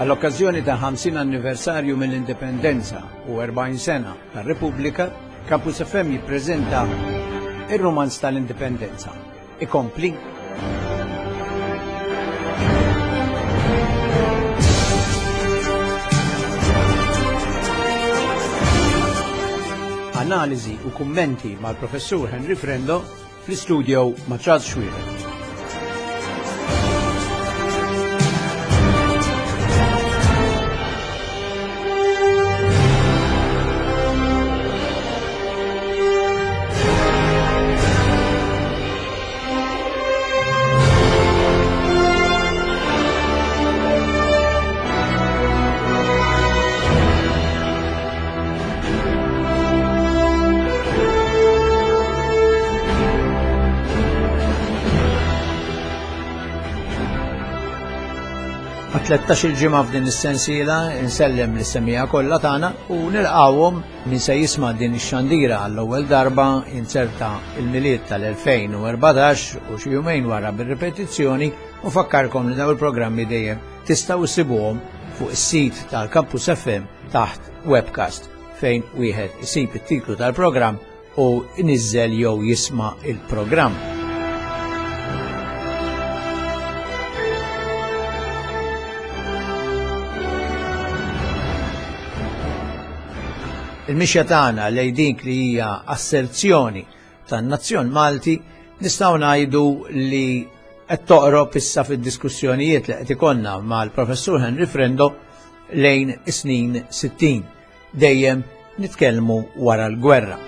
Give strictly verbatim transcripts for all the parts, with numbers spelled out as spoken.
Għall-okkażjoni ta' ħamsin anniversarju mill-Indipendenza u erbgħin sena tar-Repubblika, Campus F M jippreżenta ir-Rumanz tal-Indipendenza. Ikompli. Analiżi u kummenti mal-Professur Henry Frendo fl-istudio ma' Charles Xuereb. Tlettax il-ġimgħa f'din is-sensiela insellem lis-semmiegħa kollha tagħna u nilqgħuhom min se jisma' din ix-xandira għall-ewwel darba inserta il-Milied tal-elfejn u erbatax u xi jumejn wara bir-ripetizzjoni u fakkarkom li dawn il-programmi dejjem tistgħu issibuhom fuq is-sit tal-Campus F M taħt webcast fejn wieħed isib it-titlu tal-programm u iniżżel jew jisma' il-programm. Il-mixja tagħna lejn dik li hija asserzjoni tan-nazzjon Malti nistgħu ngħidu li qed toqrob issa fid-diskussjonijiet li qed ikollna mal-Professur Henry Frendo lejn is-snin sittin, dejjem nitkellmu wara l-gwerra.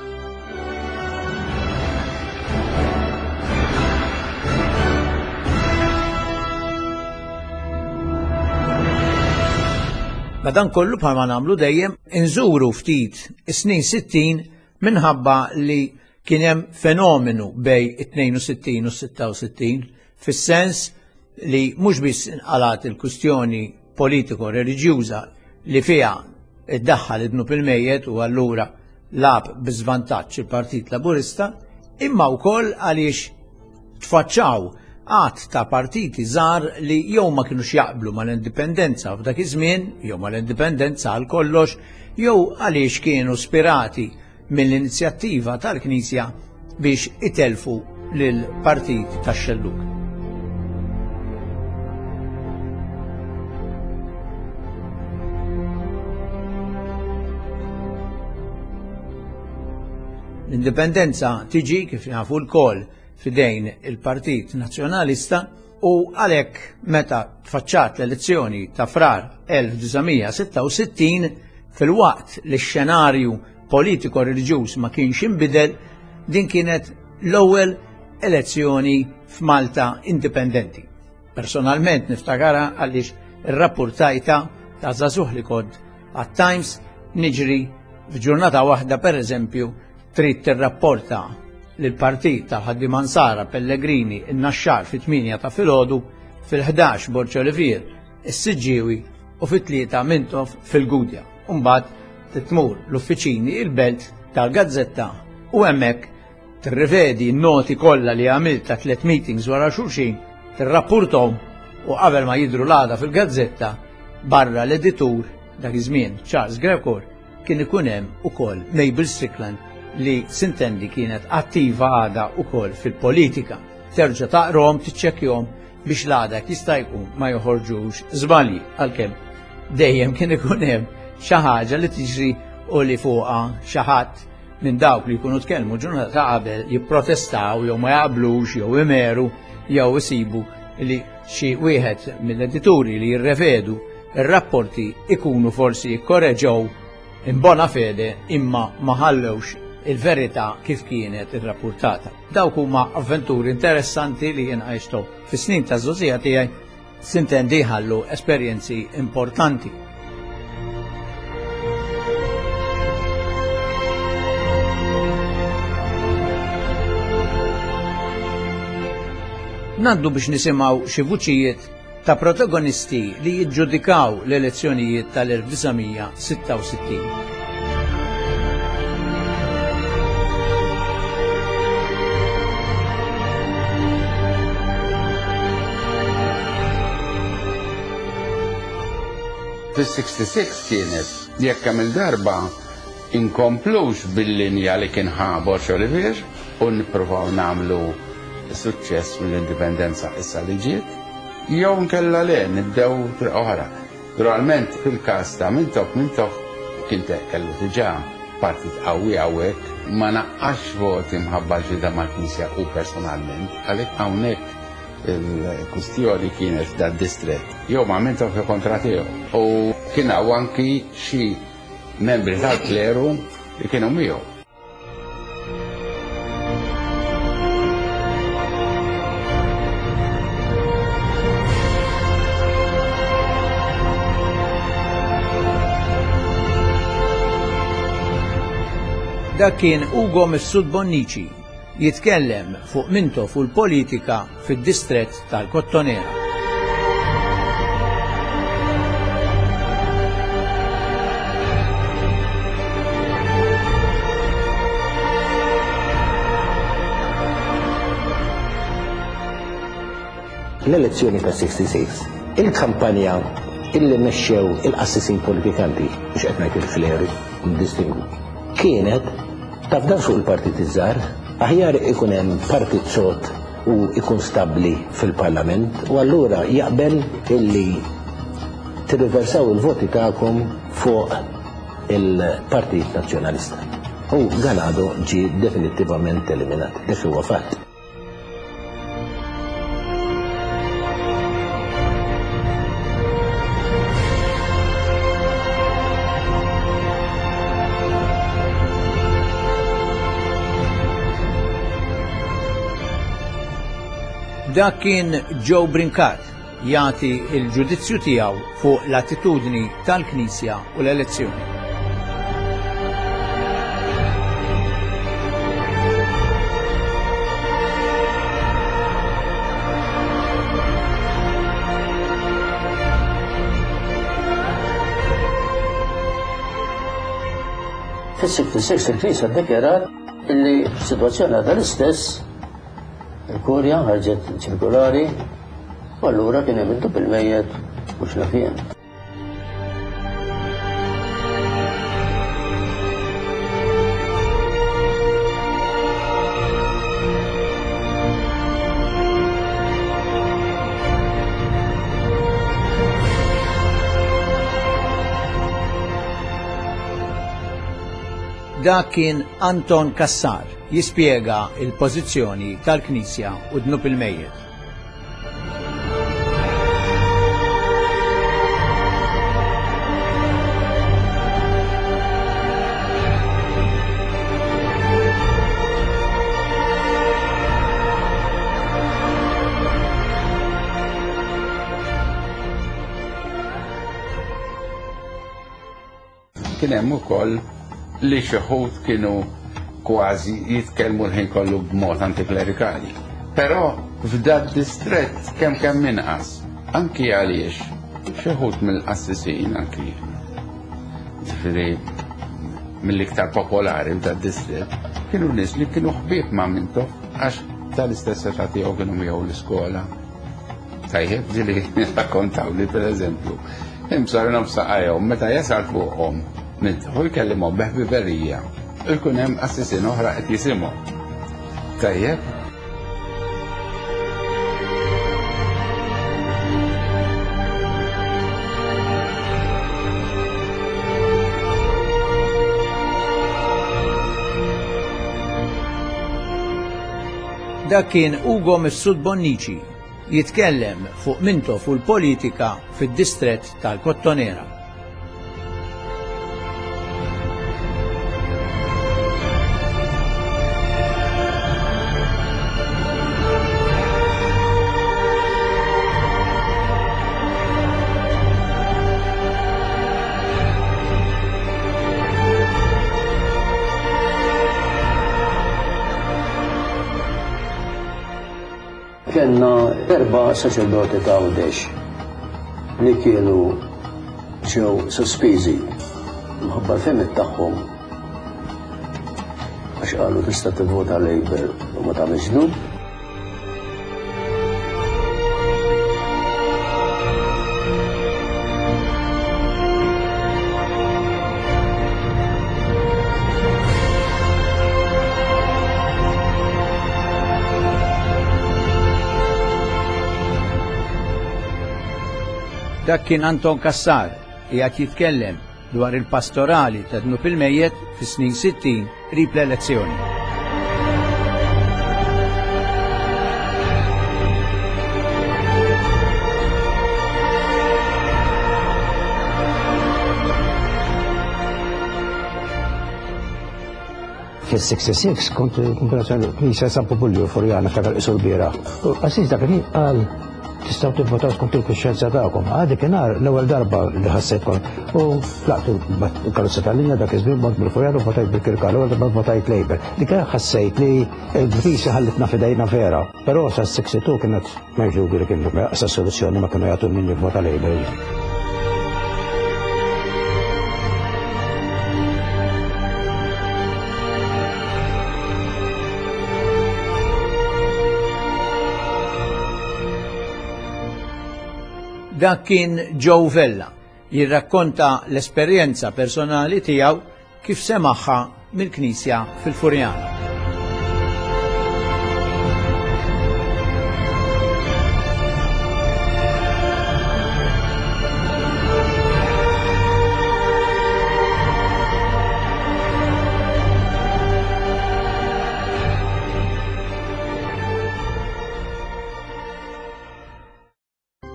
Madankollu bħalma nagħmlu dejjem inżuru ftit is-snin sittin minħabba li kien hemm fenomenu bej it-tnejn u sittin u sitta u sittin, fis-sens li mhux biss inqalat il-kwistjoni politiko-reliġjuża li fiha iddaħħal id-dnub il-mejjet u allura lab bi żvantaġġ il-Partit Laburista, imma wkoll għaliex tfaċċaw għadd ta' partiti żgħar li jew ma kinux jaqblu mal-indipendenza f'dak iż-żmien, jew mal-indipendenza għal kollox, jew għaliex kienu spirati mill-inizjattiva tal-Knisja biex itelfu lill-Partit tax-Xellug. L-indipendenza tiġi kif nafu lkoll fidejn il-Partit Nazzjonalista u għalhekk meta tfaċċat l-elezzjoni ta' Frar elf disa' mija sitta u sittin fil-waqt li x-xenarju politiko-reliġjuż ma kienx inbidel, din kienet l-ewwel elezzjoni f'Malta indipendenti. Personalment niftakara għaliex irrappurtajta ta' żagħżugħ li kont għat-Times niġri f'ġurnata waħda pereżempju trid tirrapporta lill-partit tal-Ħaddiema Nsara Pellegrini in-Naxxar fit-tmienja ta' filgħodu, fil-ħdax Borg Olivier is-Siġġiewi u fit-tlieta Mintoff fil-Gudja. Imbagħad titmur l-uffiċini il-belt tal-Gazzetta u hemmhekk tirrivedi n-noti kollha li għamilt ta' tliet meetings wara xulxin, tirrappurthom u qabel ma jidhru l-għada fil-Gazzetta barra l-editur dak iż-żmien Charles Grekor kien ikun hemm ukoll Mabel Strickland li sintendi kienet attiva għada ukoll fil-politika. Terġa' taqrom, tiċċekkjhom biex l-għada jista' jkun ma joħorġux żbalji, għalkemm dejjem kien ikun hemm xi ħaġa li tiġri u li fuqha xi ħadd minn dawk li jkunu tkellmu ġurnata ta' qabel jipprotestaw jew ma jaqblux jew imeru jew isibu li xi wieħed mill-edituri li jirrevedu ir-rapporti ikunu forsi jikkoreġew in bona fede imma ma ħallewx il-verità kif kienet irrappurtata. Dawk huma avventuri interessanti li jien għajxthom fis-snin ta' żgħożija tiegħi, sintendi ħallu esperjenzi importanti. Naddu biex nisimgħu xi vuċijiet ta' protagonisti li jiġġudikaw l-elezzjonijiet tal-elf disa' mija sitta u sittin. Fis-sixty-six kienet jekk hemm il-darba inkomplux bil-linja li kien ħa Borg Olivier u nippruvaw nagħmlu suċċess mill-indipendenza issa li ġiet, jew nkella le nibdew triq oħra. Naturalment fil-każ ta' Mintoff, Mintoff kien kellu diġà partit qawwi hawnhekk, ma naqqax voti mħabba ġida mal-Knisja u personalment, għalhekk hawnhekk il-kustjoni kienet da distret. Jew ma' Mintoff jew kontra tiegħu. U kien hawn anki xi membri tal-kleru li kienu miegħu. Dak kien Ugo Mifsud Bonnici jitkellem fuq Mintoff u l-politika fid-distrett tal-Kottonera. L-elezzjoni ta' sixty-six, il-kampanja illi mexxew il-qassisin politikanti, biex qed ngħid il-kleru, ndistingwu, kienet tafdar fuq il-partit iż-żgħar, aħjar ikun hemm partit sod u ikun stabbli fil-Parlament, u allura jaqbel illi tirriversaw il-voti tagħkom fuq il-Partit Nazzjonalista. U Ganado ġie definittivament eliminat, dak huwa fatt. Dak kien Joe Brincat jagħti il-ġudizzju tiegħu fuq l-attitudni tal-Knisja u l-elezzjoni. Fis-sixty-six il-Knisja ddikjarat illi s-sitwazzjoni għadha l-istess. Il-Kurja ħarġet ċirkolari u allura kien hemm id-dub il-mejjet mhux naf jien. Dak kien Anton Cassar jispjega il-pożizzjoni tal-Knisja u dnub il-mejjet. Kien hemm ukoll li xi wħud kienu kważi jitkellmu l-ħin kollu b'mod antiklerikali. Però f'dad distrett kemm kemm inqas, anki għaliex xi wħud mill-qassisin anki ġifieri mill-iktar popolari f'dad distrett kienu nies li kienu ħbieb ma' Mintoff għax tal-istess età tiegħu kienu miegħu l-iskola. Tajjeb ġieli rakkontaw li pereżempju imsarhom saqajhom meta jasal fuqhom Mintoff u jkellimhom beħbiberija. Ikun hemm qassisin oħra qed jisimgħu. Tajjeb. Dak kien Ugo Mifsud Bonnici jitkellem fuq Mintoff u l-politika fid-distrett tal-Kottonera. Kenna erba' saċerdoti ta' Għawdex li kienu ġew sospiżi minħabba l-fehmiet tagħhom għax qalu tista' tivvota Labour u ma tagħmilx dnub. Dak kien Anton Cassar qiegħed jitkellem dwar il-pastorali ta' dnub il-mejjet fis-snin sittin qrib l-elezzjoni. Fis-sixty-six kont knisja San Popolju Furjana ftakar isu l-bieraħ. U qassis dak il-ħin qal tistgħu tivvotaw skont il-kuxjenza tagħkom. Għadi kien l-ewwel darba li ħassejt kont. U tlaqt il-karozza tal-linja dak iż-żmien mort bil-Furjana u votajt bil-Kirkal, l-ewwel darba votajt Labour. Dik ħassejt li l-Knisja ħallitna f'idejna vera. Però sa sixty-two kienet m'hemmx dubju li kien sa soluzzjoni ma kienu jagħtu min jivvota Labour. Dak kien Joe Vella jirrakkonta l-esperjenza personali tiegħu kif semaħħa mill-Knisja fil-Furjana.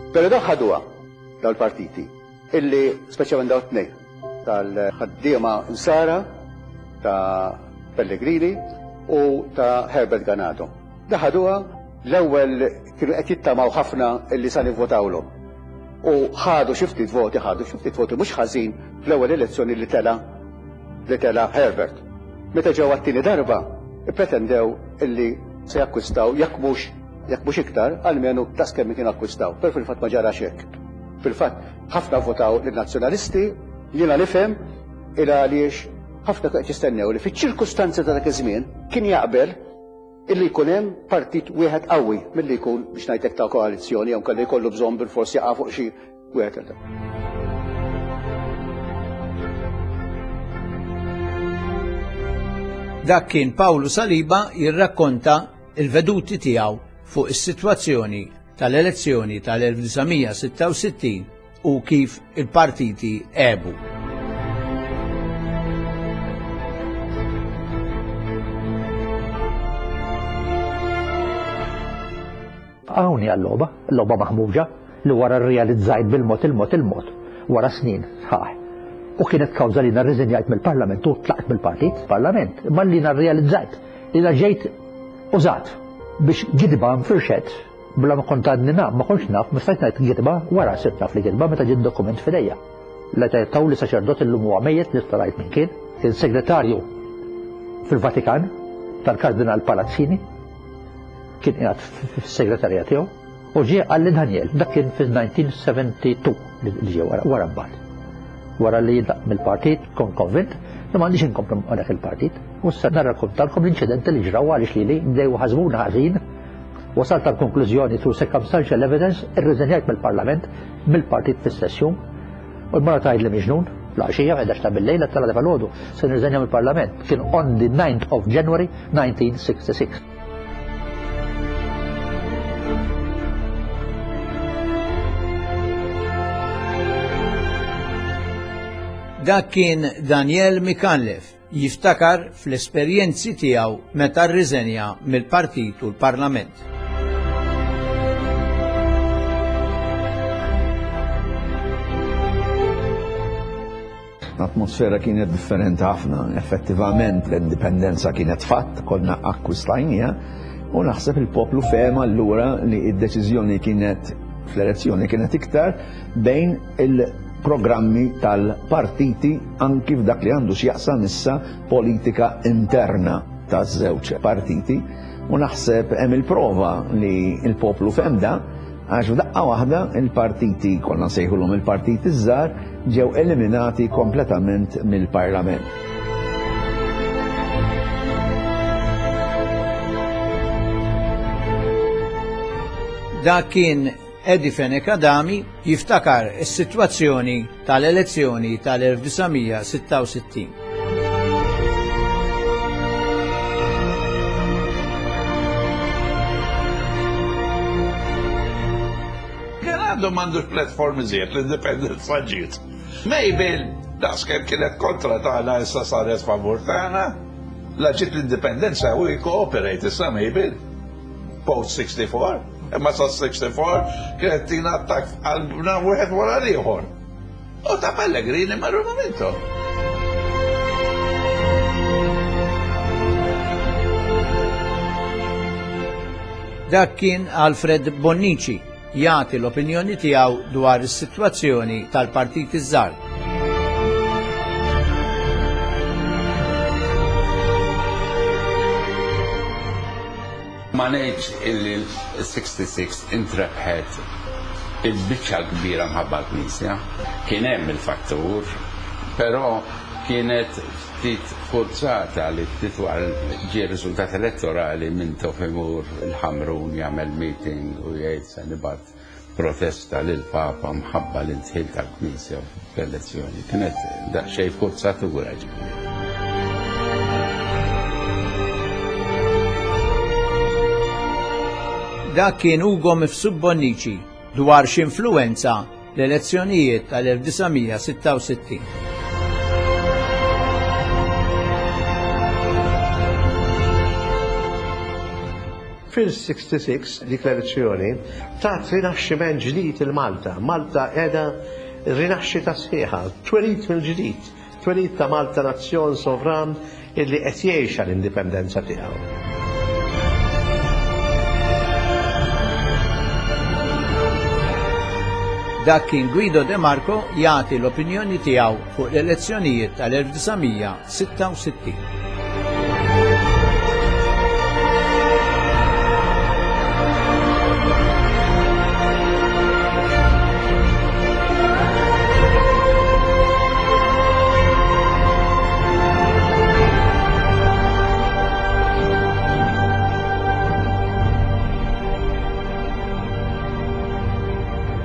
Pero daw ħaduha dal-partiti, illi speċjalment daw tnejn, tal-ħaddiema Nsara, ta' Pellegrini u ta' Herbert Ganado. Da ħaduha l-ewwel kienu qed jittamaw ħafna illi sa nivvotawlhom. U ħadu xi ftit voti, ħadu xi ftit voti mhux ħażin fl-ewwel elezzjoni li tela li tela Herbert. Meta ġew għat-tieni darba, ippretendew illi se jakkwistaw jekk mhux jekk mhux iktar, almenu daqs kemm kienu akkwistaw. Però fil-fatt ma ġarax hekk. Fil-fatt ħafna votaw lin-Nazzjonalisti, jiena nifhem il għaliex ħafna qed jistennew li fiċ-ċirkustanzi ta' dak iż-żmien kien jaqbel illi jkun hemm partit wieħed qawwi milli jkun biex ngħidlek ta' koalizzjoni jew kellu jkollu bżonn bilfors jaqa' fuq xi wieħed. Dak kien Pawlu Saliba jirrakkonta il-veduti tiegħu fuq is-sitwazzjoni tal-elezzjoni tal-elf disa' mija sitta u sittin u kif il-partiti għebu. Hawn hija l-logħba, l-logħba maħmuġa li wara rrealizzajt bil-mod il-mod il-mod wara snin sħaħ. U kienet kawża li narriżenjajt mill-Parlament u tlaqt mill-partit, Parlament, imma li narrealizzajt li ġejt użat biex gidba nfirxet bla ma kont għadni naf, ma kontx naf, ma stajt ngħid gidba, wara sirt naf li gidba meta ġiet dokument f'idejja. La taw li saċerdot illum huwa mejjet li starajt minn kien, kien segretarju fil-Vatikan tal-Kardinal Palazzini, kien qiegħed fis-segretarja tiegħu, u ġie qalli Daniel, dak kien fil-nineteen seventy-two li ġie wara, wara mbagħad. Wara li jitlaq mill-partit, kont konvint li m'għandix inkomplu ma' dak il-partit. U issa narrakkontalkom l-inċidenti li ġraw għaliex lili bdew ħażbuna ħażin. Wasalt għal konklużjoni through circumstantial evidence, irriżenjajt mill-Parlament, mill-partit fl-istess jum. U l-mara tgħid li miġnun, fl-għaxija, ħdax ta' bil-lejl, tala ta' filgħodu, se nirriżenja mill-Parlament. Kien on the ninth of January nineteen sixty-six. Dak kien Daniel Micallef jiftakar fl-esperjenzi tiegħu meta rriżenja mill-partit u l-Parlament. L-atmosfera kienet differenti ħafna, effettivament l-indipendenza kienet fatt, konna akkwistajnija, u naħseb il-poplu fehma allura li d-deċiżjoni kienet fl-elezzjoni kienet iktar bejn il-programmi tal-partiti anki f'dak li għandu x'jaqsam issa politika interna taż-żewġ partiti, u naħseb hemm il-prova li l-poplu fehem da, għax f'daqqa waħda il-partiti, konna nsejħulhom il-partiti ż-żgħar, ġew eliminati kompletament mill-Parlament. Dak kien Eddie Fenech Adami jiftakar is-sitwazzjoni tal-elezzjoni tal-elf disa' mija sitta u sittin. għandu m'għandux platform iżjed l-indipendenza ġiet. Mabel, daqskemm kienet kontra tagħna issa saret favur tagħna. La ġiet l-indipendenza u cooperate issa Mabel. Post sixty-four, imma sa sixty-four kienet tina attak f'qalbna wieħed wara l-ieħor. U ta' Pellegrini marru momentu. Dak kien Alfred Bonnici jagħti l-opinjoni tiegħu dwar is-sitwazzjoni tal-partit iż-żgħar. Ma ngħidx illi l-sixty-six intrebħet il-biċċa kbira mħabba l-Knisja. Kien hemm il-fattur, però kienet ftit forzata li ftit wara ġie riżultat elettorali minn Imur il-Ħamrun jagħmel meeting u jgħid se nibgħat protesta lil Papa mħabba l-intħil tal-Knisja fl-elezzjoni. Kienet daqsxejn forzatura ġifieri. Dak kien Ugo Mifsud Bonnici dwar x'influwenza l-elezzjonijiet tal-elf disa' mija sitta u sittin. Fil-sixty-six dik l-elezzjoni tat rinaxximent ġdid il-Malta. Malta qiegħda rinaxxita sħiħa, twelid mill-ġdid, twelid ta' Malta nazzjon sovran illi qed jgħix għall-indipendenza tiegħu. Dak kien Guido De Marco jagħti l-opinjoni tiegħu fuq l-elezzjonijiet tal-elf disa' mija sitta u sittin.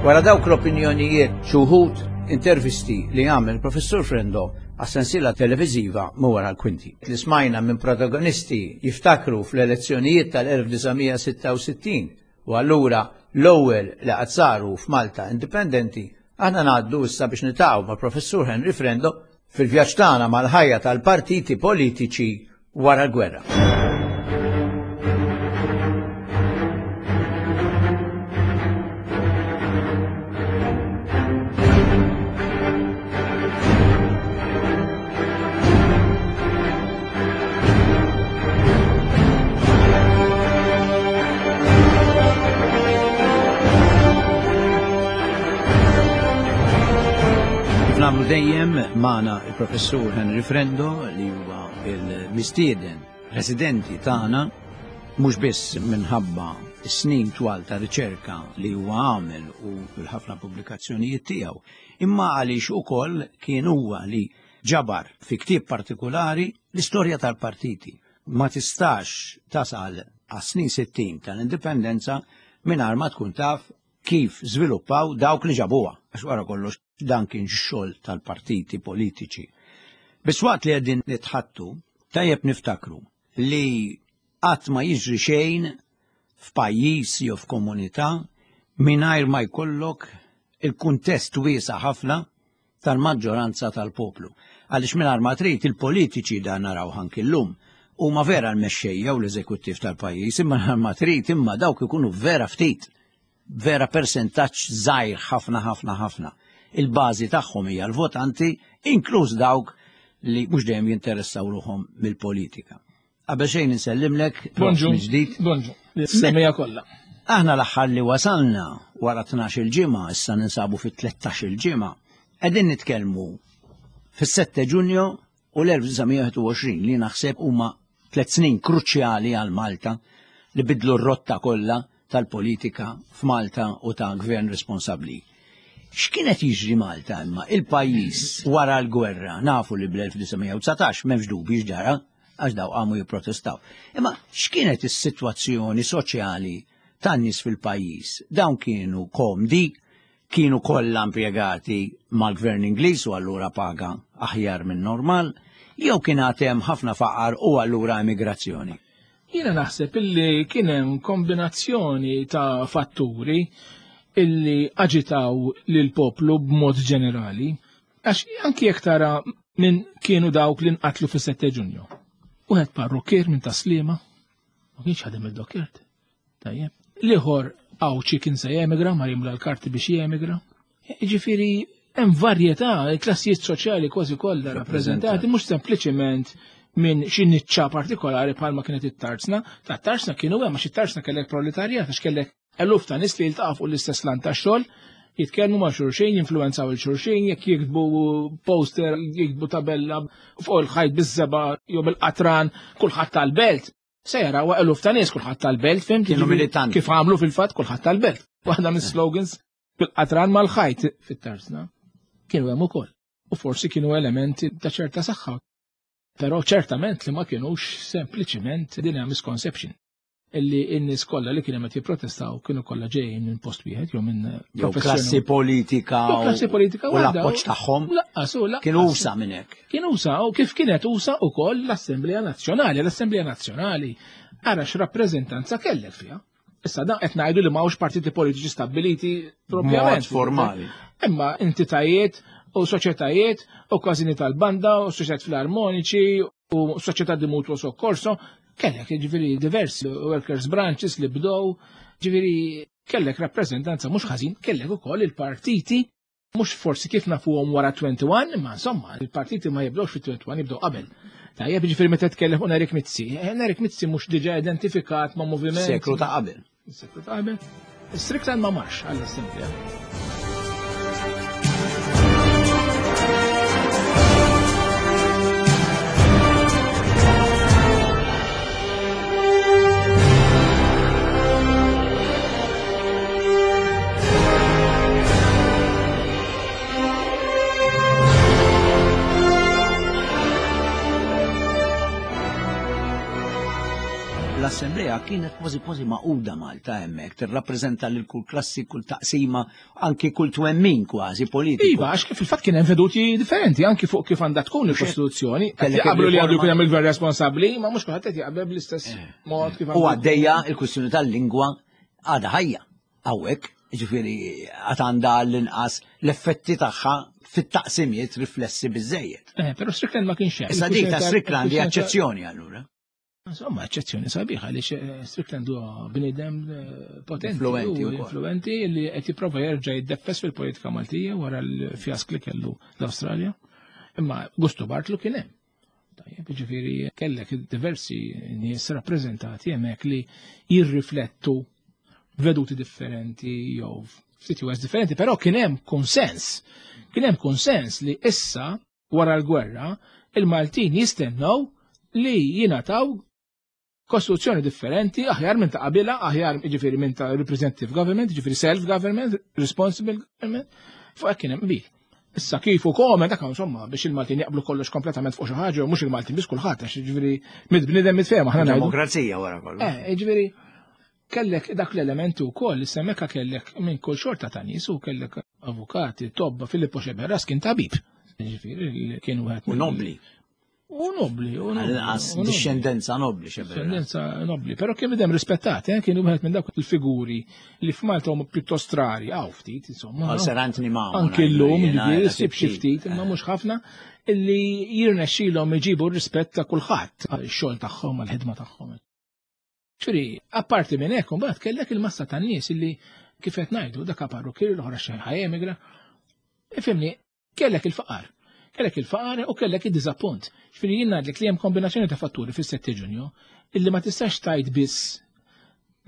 Wara dawk l-opinjonijiet xi wħud intervisti li għamel Professur Frendo għas-sensiela televiżiva Minn Wara l-Kwinti. Li smajna minn protagonisti jiftakru fl-elezzjonijiet tal-elf disa' mija sitta u sittin u allura l-ewwel li qatt saru f'Malta indipendenti, aħna ngħaddu issa biex nitaqgħu ma' Professur Henry Frendo fil-vjaġġ tagħna mal-ħajja tal-partiti politiċi wara l-gwerra. Nagħmlu dejjem magħna il-Professur Henry Frendo li huwa il-mistieden residenti tagħna mhux biss minħabba s-snin twal ta' riċerka li huwa għamel u l-ħafna pubblikazzjonijiet tiegħu, imma għaliex ukoll kien huwa li ġabar fi ktieb partikolari l-istorja tal-partiti. Ma tistax tasal għas-snin sittin tal-indipendenza mingħajr ma tkun taf kif żviluppaw dawk li ġabuha, għax wara kollox dan kien x-xogħol tal-partiti politiċi. Biss waqt li qegħdin nitħattu, tajjeb niftakru li qatt ma jiġri xejn f'pajjiż jew f'komunità mingħajr ma jkollok il-kuntest wiesa' ħafna tal-maġġoranza tal-poplu. Għaliex mingħajr ma trid il-politiċi dan naraw anki llum huma vera l-mexxejja u l-eżekuttiv tal-pajjiż, imma mingħajr ma trid imma dawk ikunu vera ftit, vera persentaġġ żgħir ħafna ħafna ħafna. Il-bażi tagħhom hija l-votanti, inkluż dawk li mhux dejjem jinteressaw ruħhom mill-politika. Qabel xejn insellimlek, Bonġu. mill-ġdid. Bonġu. Semmija kollha. Aħna l-aħħar li wasalna wara tnax-il ġimgħa, issa ninsabu fit tlettax-il ġimgħa, qegħdin nitkellmu fis-sette Ġunju u l-elf disa' mija wieħed u għoxrin li naħseb huma tliet snin kruċjali għal Malta li bidlu r-rotta kollha tal-politika f'Malta u ta' gvern responsabbli. X'kienet jiġri Malta imma il-pajjiż wara l-gwerra, nafu li bl-elf disa' mija u dsatax m'hemmx dubji x'ġara għax daw qamu jipprotestaw. Imma x'kienet is-sitwazzjoni soċjali tan-nies fil-pajjiż? Dawn kienu komdi, kienu kollha impjegati mal-gvern Ingliż u allura paga aħjar minn normal, jew kien għad hemm ħafna faqar u allura emigrazzjoni? Jiena naħseb illi kien hemm kombinazzjoni ta' fatturi. illi aġitaw lil poplu b'mod ġenerali, għax anki jekk tara minn kienu dawk li nqatlu fis-sette Ġunju. Wieħed parrukkier minn Taslima, ma kienx ħadem il-dokkert. Tajjeb. L-ieħor Għawdxi kien se jemigra, ma jimla l-karti biex jemigra. Jiġifieri hemm varjetà, klassijiet soċjali kważi kollha rappreżentati, mhux sempliċement minn xi niċċa partikolari bħalma kienet it-tarzna. Ta' tarzna kienu hemm għax it-tarzna kellek proletarjat, għax kellek eluf ta' nies li jiltaqgħu fuq l-istess lan tax-xogħol, jitkellmu ma' xulxin, jinfluwenzaw il xulxin, jekk jiktbu poster, jiktbu tabella fuq il-ħajt biż-żeba jew bil-qatran, kulħadd tal-belt. Se jaraw eluf ta' nies kulħadd tal-belt, fhimt? Kienu militanti. Kif għamlu fil-fatt kulħadd tal-belt. Waħda mis-slogans bil-qatran mal-ħajt fit-tarzna. Kienu hemm ukoll. U forsi kienu elementi ta' ċerta saħħa. Però ċertament li ma kienux sempliċiment din hija misconception. Illi n-nies kollha li kienu qed jipprotestaw kienu kollha ġejjin minn post wieħed jew minn Jew klassi politika Jew klassi politika u l-appoġġ tagħhom Laqqas u laqqas. Kienu usa minn hekk. Kienu usa u kif kienet usa wkoll l-Assemblea Nazzjonali. L-Assemblea Nazzjonali ara x'rappreżentanza kellek fiha. Issa dan qed ngħidu li m'hawnx partiti politiċi stabbiliti propjament. Mod formali. Imma entitajiet u soċjetajiet u każini tal-banda u soċjetajiet filarmoniċi u soċjetà di mutuo soccorso, kellek ġifieri diversi workers branches li bdew, ġifieri kellek rappreżentanza mhux ħażin, kellek ukoll il-partiti, mhux forsi kif nafuhom wara twenty-one, imma insomma, il-partiti ma jibdewx fi twenty-one, jibdew qabel. Tajjeb, ġifieri meta tkellem fuq Nerik Mizzi, eh, Nerik Mizzi mhux diġà identifikat ma' moviment. Seklu ta' qabel. Seklu ta' qabel. Strickland ma marx għall-Assemblea. L-Assemblea kienet kważi kważi maquda Malta hemmhekk, tirrappreżenta lil kull klassi, kull taqsima, anki kull twemmin kważi politiku. Iva, għax fil-fatt kien hemm veduti differenti anki fuq kif għandha tkun il-Kostituzzjoni. Qed Kellek jaqblu li għandu il-riforma. jkun hemm il-gvern responsabbli, ma mhux kulħadd qed jaqbel bl-istess Eh. mod kif U għandu għaddejja il-kwistjoni tal-lingwa għadha ħajja hawnhekk, jiġifieri għad għandha l-inqas l-effetti tagħha fit-taqsimiet riflessi biżejjed. Eh, però Strickland ma kienx hemm. Issa dik ta' Strickland hija Il-kwistjoni ta' eċċezzjoni allura. Insomma, eċċezzjoni sabiħa għaliex, eh, Strickland huwa bniedem, eh, potenti Influenti u wkoll. influenti li qed jipprova jerġa' jiddeffes fil-politika Maltija wara l-fjask li kellu l-Awstralja. Imma Gustu Bartlu kien hemm. Tajjeb, jiġifieri kellek diversi nies rappreżentati hemmhekk li jirriflettu veduti differenti jew f'sitwazzjoni differenti, però kien hemm konsens. Kien hemm konsens li issa wara l-gwerra il-Maltin jistennew li jingħataw kostituzzjoni differenti, aħjar minn ta' qabilha, aħjar jiġifieri minn ta' representative government, jiġifieri self-government, responsible government, fuq hekk kien hemm qbil. Issa kif u komen, dak insomma, biex il-Maltin jaqblu kollox kompletament fuq xi ħaġa, u mhux il-Maltin biss kulħadd, għax jiġifieri mid-bniedem mitfehma, aħna ngħidu. Demokrazija wara kollox. Eh, jiġifieri kellek dak l-elementi wkoll, issa hemmhekk kellek minn kull xorta ta' nies u kellek avukati, tobba, Filippo Sceberras kien tabib. Jiġifieri kien wieħed U mill- nobli. U nobli, u nobli, Għal-inqas u nobli. discendenza nobli, Sceberras. Discendenza nobli, però kien bidem rispettat, eh, kienu wieħed minn dawk il-figuri li f'Malta huma pjuttost rari, hawn ftit, insomma. Għal Sir Anthony Mamo, Anki ngħidu llum, jiena, jiġifieri, jena ssib xi ftit. ftit, imma mhux ħafna, illi jirnexxilhom iġibu r-rispett ta' kulħadd għax-xogħol tagħhom, għall-ħidma tagħhom. Ġifieri, apparti minn hekk, imbagħad kellek il-massa tan-nies illi kif qed ngħidu dak parrukkier l-oħra xejn ħajemigra. Ifhimni, kellek il-faqar. Kellek il-faqar u kellek id-diżappunt. Ġifieri jien ngħidlek li hemm kombinazzjoni ta' fatturi fis-sette Ġunju illi ma tistax tgħid biss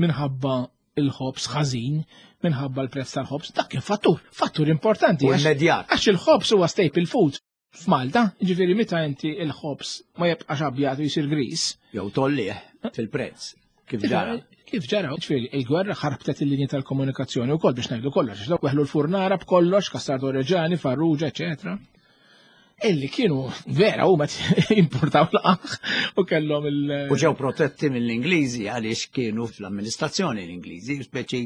minħabba il-ħobż ħażin, minħabba l-prezz tal-ħobż, dak kien fattur, fattur importanti. U għax- immedjat. Għax il-ħobż huwa staple food f'Malta, ġifieri meta inti il-ħobż ma jibqax abjad u jsir gris. Jew tollih fil-prezz, kif ġara. Kif ġara, ġifieri il-gwerra ħarbtet il-linji tal-komunikazzjoni wkoll biex ngħidu kollox, għax dawk weħlu l-furnara b'kollox, Cassardo Reggiani, Farrugia, eċetera. Illi kienu vera huma importaw l-qamħ u kellhom il- U ġew protetti mill-Ingliżi għaliex kienu fl-amministrazzjoni l-Ingliżi, speċi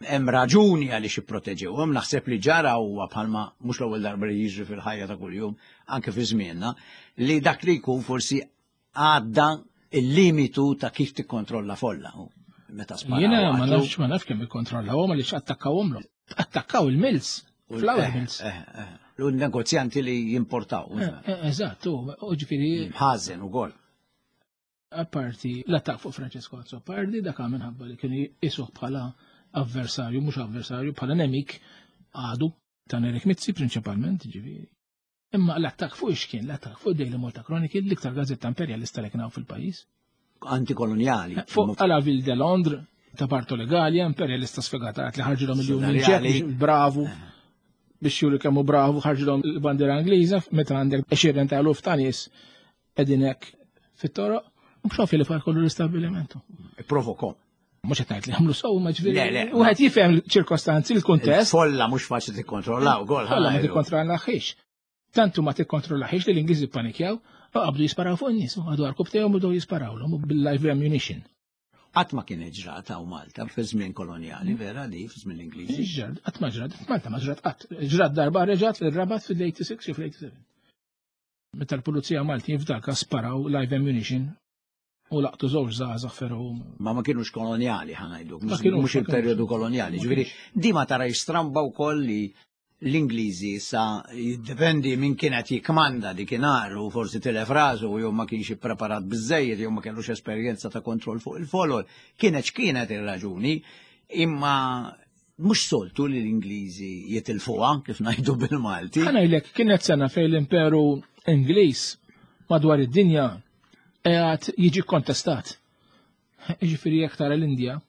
hemm raġuni għaliex ipproteġewhom, naħseb li ġara huwa bħalma mhux l-ewwel darba li jiġri fil-ħajja ta' kuljum, anke fi żmienna, li dak li jkun forsi għadda il-limitu ta' kif tikkontrolla folla. Meta sparaw Jiena ma għatlu. nafx, ma nafx kemm ikkontrollawhom għaliex attakkawhomlhom. Attakkaw il-mills, flour mills. Eh, eh, eh. U negozjanti li jimportaw. Eżatt, u ġifieri. Ħażen ukoll. Apparti l-attakk fuq Francesco Azzopardi, dak minħabba li kienu jisuh bħala avversarju, mhux avversarju, bħala nemik għadu ta' Nerik Mizzi prinċipalment, ġifieri. Imma l-attakk fuq x'kien? L-attakk fuq Daily Malta Chronicle, l-iktar gazzetta imperjalista li kien hawn fil-pajjiż. Antikoloniali. Fuq La Ville de Londres, ta' Bartolo Gallia, imperjalista sfegatat li ħarġilhom il-Union Jack, bravu, biex juri kemm hu bravu, ħarġilhom il-bandiera Ingliża, meta għandek għexieren ta' eluf ta' nies qegħdin hekk fit-toroq, u mhux li far kollu l-istabbilimentu. Provoko. Mhux qed ngħid li għamlu sew, ma ġifieri. Wieħed jifhem ċirkostanzi, l-kuntest. Folla mhux faċli tikkontrollaw ukoll. Folla ma tikkontrollahiex. Tantu ma tikkontrollahiex li l-Ingliżi ppanikjaw u qabdu jisparaw fuq in-nies, u għadu għarkub tejhom u bdew jisparawlhom bil-live ammunition. Qatt ma kienet ġrat hawn Malta fi żmien kolonjali, vera di fi żmien l-Ingliżi. Ġrat, qatt ma ġrat, Malta ma ġrat qatt. Ġrat darba reġgħet fil-Rabat fil-eighty-six jew fil-eighty-seven. Meta l-Pulizija Malti f'daka sparaw live ammunition u laqtu żewġ żgħażagħ ferru. Ma ma kienux kolonjali ħa ngħidu, mhux il-perjodu kolonjali. Ġifieri di ma tara stramba wkoll li l-Ingliżi sa jiddependi minn kienet jikmanda dikinhar u forsi tilef rasu jew ma kienx ippreparat biżejjed jew ma kellux esperjenza ta' kontroll fuq il-folol. Kienet x'kienet ir-raġuni, imma mhux soltu li l-Ingliżi jitilfuha kif ngħidu bil-Malti. Ħa ngħidlek kienet sena fejn l-Imperu Ingliż madwar id-dinja qiegħed jiġi kontestat. Jiġifieri jekk tara l-Indja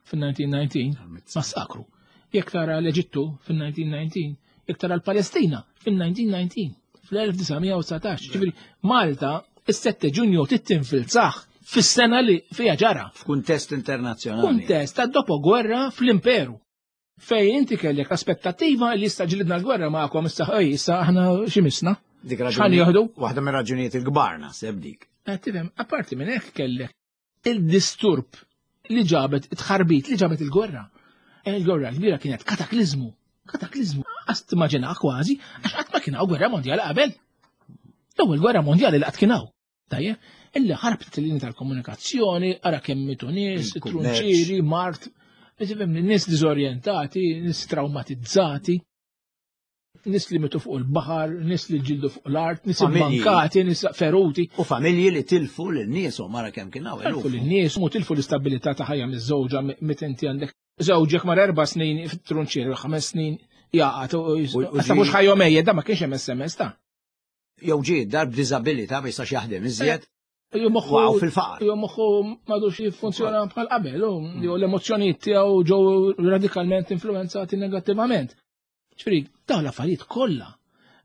fin-nineteen nineteen massakru. Jekk tara l-Eġittu fin-nineteen nineteen, jekk tara l-Palestina fin-nineteen nineteen, fl-elf disa' u dsatax. Ġifieri Malta is-sette Ġunju tittinfilzaħ fis-sena li fiha ġara. F'kuntest internazzjonali. Kuntest ta' dopo gwerra fl-Imperu. Fejn inti kellek aspettattiva li issa ġlidna l-gwerra magħkom issa ħaj, issa aħna xi misna. Dik X'ħan raġuni, jieħdu? Waħda mir-raġunijiet il-kbar naħseb dik. Eh, tifhem, apparti minn hekk kellek il-disturb li ġabet, it-tħarbit li ġabet il-gwerra. Il-gwerra kbira kienet kataklizmu, kataklizmu, għas timmaġina kważi, għax qatt ma kien hawn gwerra mondjali qabel. L-ewwel gwerra mondjali li qatt kien hawn. Tajjeb, illi ħarbet il-linja tal-komunikazzjoni, ara kemm mitu nies, Il-kummerċ. trunċieri, mart, tifhem, nies diżorjentati, nies traumatizzati, nies li mitu fuq il-baħar, nies li ġildu fuq l-art, nies Familji. imbankati, nies feruti. U familji li tilfu lin-nies u mara kemm kien hawn Tilfu eluf. lin-nies u tilfu l-istabilità ta' ħajja miż-żewġa meta inti għandek żewġek mar erba' snin fit-trunċier, ħames snin jaqgħad u U- u issa ġi- mhux ħajjhom ejjed, da ma kienx hemm S M S ta'. Jew ġie dar b'diżabilità ma jistax jaħdem iżjed. Jew moħħu Waqgħu fil-faqar. Jew moħħu m'għadux jiffunzjona bħal qabel, u jew l-emozzjonijiet tiegħu ġew radikalment influenzati negattivament. Ġifieri, dawn l-affarijiet kollha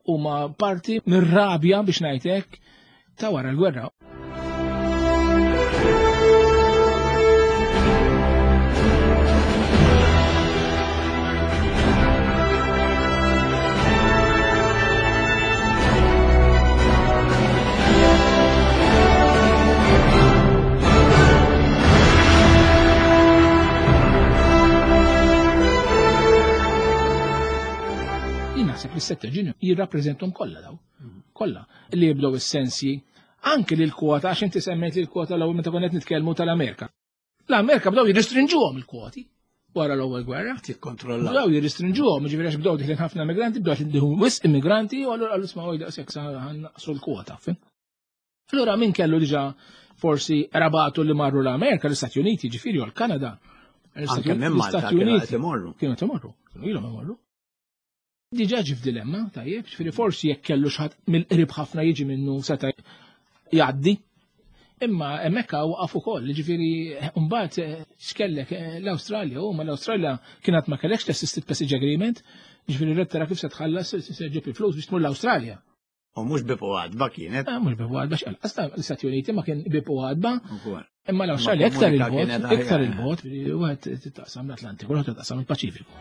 huma parti mir-rabja biex ngħid hekk ta' wara l-gwerra. Naħseb li s-sette Ġunju jirrappreżentom kollha daw. Kollha li jibdew is-sensi anke lil kwota, għax inti semmejt li l-kwota l-ewwel meta konna qed nitkellmu tal-Amerika. L-Amerika bdew jirrestrinġuhom il-kwoti wara l-ewwel gwerra. Tikkontrollaw. Bdew jirrestrinġuhom, jiġifieri għax bdew diħlin ħafna immigranti, bdew diħlin wisq immigranti, u allura qalu isma' daqshekk sa ħannaqsu l-kwota, fim? Allura min kellu diġà forsi rabatu li marru l-Amerika, l-Istati Uniti, ġifieri u l-Kanada. Anke minn Malta L-Istati kienu Uniti qed imorru. Kienu qed imorru, kienu ilhom imorru. Diġà ġi f'dilemma, tajjeb, ġifieri forsi jekk kellu xi ħadd mill-qrib ħafna jiġi minnu seta' jgħaddi. Imma hemmhekk waqaf ukoll, ġifieri mbagħad x'kellek l-Awstralja, u ma l-Awstralja kienet ma kellekx l-Assisted Passage Agreement, ġifieri rrid tara kif se tħallas se ġġib il-flus biex tmur l-Awstralja. U mhux bibu għadba kienet. Ah, mhux bibu għadba x'qal. Asta l-Istati Uniti ma kien bibu għadba. Ukoll. Imma l-Awstralja Ma iktar komunika il-bogħod, kienet aħjar. iktar il-bogħod, wieħed taqsam l-Atlantiku, l-oħra taqsam il-Paċifiku.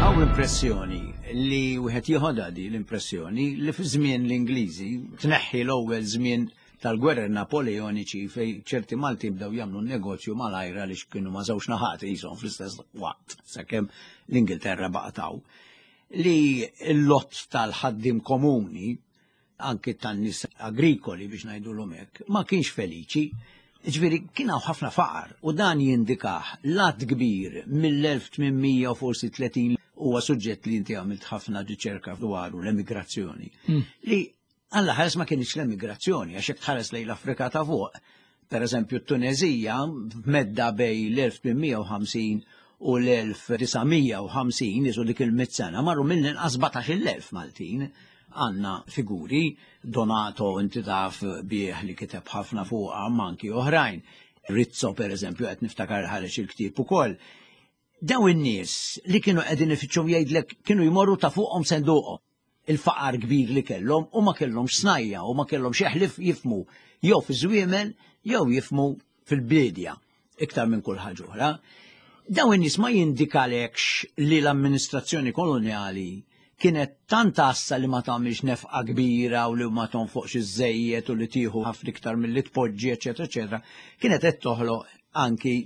Hawn impressjoni li wieħed Wieħed jieħodha di l-impressjoni li fi żmien l-Ingliżi tneħħi l-ewwel żmien tal-gwerra Napoleoniċi fej ċerti Malti bdew jagħmlu negozju malajra li kienu ma' żewġ naħat qishom fl-istess waqt sakemm l-Ingilterra baqtaw. Li l-lot tal-ħaddim komuni, anki tan-nies agrikoli biex ngħidulhom hekk, ma kienx feliċi. Ġifieri kien hawn ħafna faqar u dan jindikah lat kbir mill-elf tmien mija u forsi tletin, huwa suġġett li inti għamilt ħafna riċerka dwaru, l-emigrazzjoni. Mm. Li Alla ħares ma kienx l-emigrazzjoni, għax jekk tħares lejn l-Afrika ta' fuq, per eżempju t-Tunezija, medda bej l-elf tmien mija u ħamsin u l-elf disa' mija u ħamsin, jisu dik il-mitt sena, marru mill-inqas sbatax-il elf Maltin. Għanna figuri, Donato inti taf bieħ li kiteb ħafna fuqha, manki oħrajn. Rizzo per eżempju, qed niftakar ħareġ il-ktieb ukoll. Daw in-nies li kienu qegħdin ifittxu jgħidlek kienu jmorru ta' fuqhom senduqhom. Il-faqar kbir li kellhom u ma kellhomx snajja u ma kellhomx eħlif jifmu jew fi żwiemel jew jifmu fil-bidja iktar minn kull ħaġa oħra. Daw in-nies ma jindikalekx li l-amministrazzjoni koloniali kienet tant għassa li ma tagħmilx nefqa kbira u li ma tonfoqx iżejjed u li tieħu ħafna iktar milli tpoġġi, eċetera, eċetera, kienet qed toħloq anki